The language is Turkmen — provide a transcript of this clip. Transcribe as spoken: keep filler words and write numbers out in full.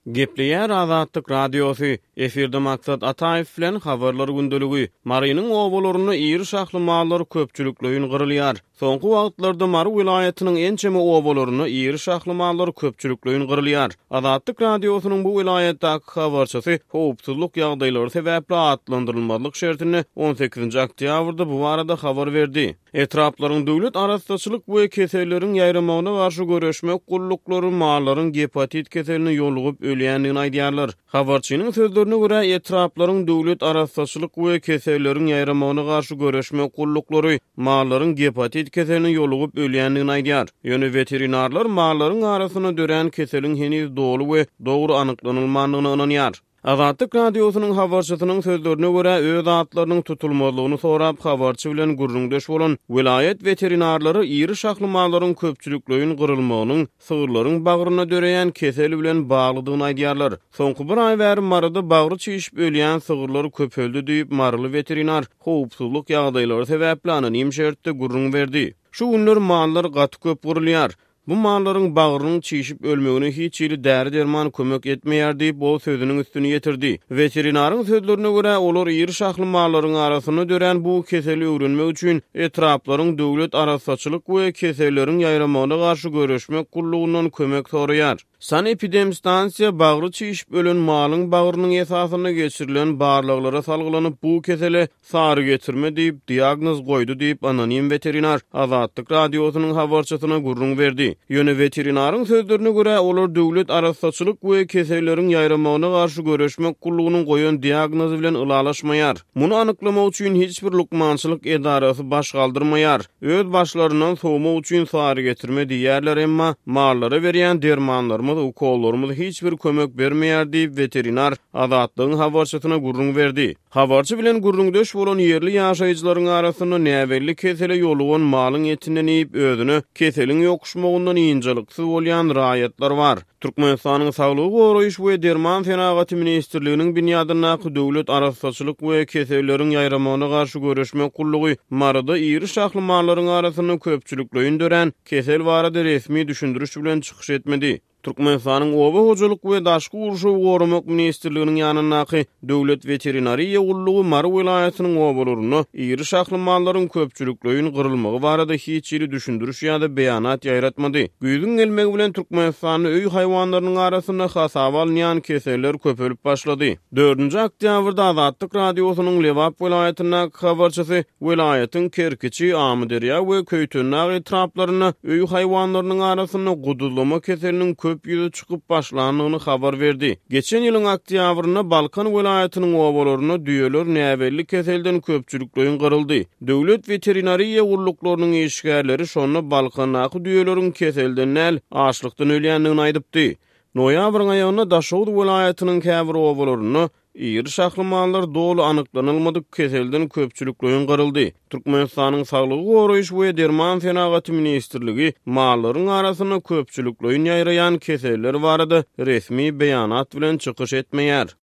Gepleýär Azatlyk Radiosy, efirde Maksat Ataýew bilen Habarlar gündeligi. Marynyň obalarynda iri şahly mallar köpçülikleýin gyrylýar. Soňky wagtlarda Mary welaýatynyň ençeme obalarynda iri şahly mallar köpçülikleýin gyrylýar. Azatlyk Radiosynyň bu welaýatdaky habarçysy howpsuzlyk ýagdaýlary sebäpli atlandyrylmazlyk şertinde on sekizinji oktýabrda bu barada habar berdi. Etraplaryň döwlet arassaçylyk we keselleriň ýaýramagyna garşy göreşmek gulluklary mallaryň gepatit keseline ýolugyp ölýändigini aýdýarlar. Habarçynyň sözlerine görä, etraplaryň döwlet arassaçylyk we keselleriň ýaýramagyna garşy göreşmek gulluklary mallaryň gepatit keseline ýolugyp ölýändigini aýdýar. Ýöne veterinarlar mallaryň arasynda dörän keseliň heniz doly we dogry anyklanylmandygyna ynanýar. Azatlyk Radiosynyň habarçysynyň sözlerine görä, öz atlarynyň tutulmazlygyny sorap habarçy bilen gürrüňdeş bolan welaýat veterinarlary iri şahly mallaryň köpçülikleýin gyrylmagynyň sygyrlaryň bagryna döreýän kesel bilen baglydygyny aýdýarlar. Soňky bir aý bäri Maryda bagry çişip ölýän sygyrlar köpeldi diýip, Maryly veterinar howpsuzlyk ýagdaýlary sebäpli anonim şertde gürrüň berdi. Şu günler mallar gaty köp gyrylýar. Bu mallaryň bagrynyň çişip ölmegine hiç hili däri derman kömek etmeýär diýip, ol sözüniň üstüni ýetirdi. Veterinaryň sözlerine görä, olar iri şahly mallaryň arasynda dörän bu keseli öwrenmek üçin etraplaryň döwlet arassaçylyk we keselleriň ýaýramagyna garşy göreşmek gullugyndan kömek soraýar. Sanepidemstansiýa bagry çişip ölen malyň bagrynyň esasynda geçirilen barlaglara salgylanyp bu kesele sary getirme diýip diagnoz goýdy diýip anonim veterinar Azatlyk Radiosynyň habarçysyna gürrüň berdi. Ýöne veterinaryň sözlerine görä, olar döwlet arassaçylyk we keselleriň ýaýramagyna garşy göreşmek gullugynyň goýan diagnozy bilen ylalaşmaýar. Muny anyklamak üçin hiç bir lukmançylyk edarasy baş galdyrmaýar. Öz başlaryndan sowmak üçin sary getirme diýerler, emma mallara berýän dermanlarymyz, ukollarymyz hiç bir kömek bermeýär diýip veterinar Azatlygyň habarçysyna gürrüň berdi. Habarçy bilen gürrüňdeş bolan ýerli ýaşaýjylaryň arasynda näbelli kesele ýolugan malyň etinden iýip özüne keseliň ýokuşmagyndan ynjalyksyz bolýan raýatlar bar. Türkmenistanyň Saglygy goraýyş we derman senagaty ministrliginiň binýadyndaky döwlet arassaçylyk we keselleriň ýaýramagyna garşy göreşmek gullugy Maryda iri şahly mallaryň arasynda köpçülikleýin dörän kesel barada resmi düşündiriş bilen çykyş etmedi. Türkmenistanyň Oba hojalyk we daşky gurşawy goramak ministrliginiň ýanyndaky Döwlet veterinariýa gullugy Mary welaýatynyň obalarynda iri şahly mallaryň köpçülikleýin gyrylmagy barada hiç hili düşündiriş ýa-da beýanat ýaýratmady. Güýzüň gelmegi bilen Türkmenistanda öý haýwanlarynyň arasynda hasaba alynýan keseller köpelip başlady. Dördünji oktýabrda Azatlyk Radiosynyň Lebap welaýatyndaky habarçysy welaýatyň Kerkiçi, Amyderýa we Köýtendag etraplarynda öý haýwanlarynyň arasynda guduzlama keseliniň köp ýüze çykyp başlandygyny habar berdi. Geçen ýylyň oktýabrynda Balkan welaýatynyň obalarynda düýeler näbelli keselden köpçülikleýin gyryldy. Döwlet veterinariýa gulluklarynyň işgärleri şonda Balkandaky düýeleriň keselden däl, açlykdan ölýändigini aýdypdy. Noýabryň aýagynda Daşoguz welaýatynyň käbir obalarynda iri şahly mallar doly anyklanylmadyk keselden köpçülikleýin gyryldy. Türkmenistanyň Saglygy goraýyş we derman senagaty ministrligi mallaryň arasynda köpçülikleýin ýaýraýan keseller barada resmi beýanat bilen çykyş etmeýär.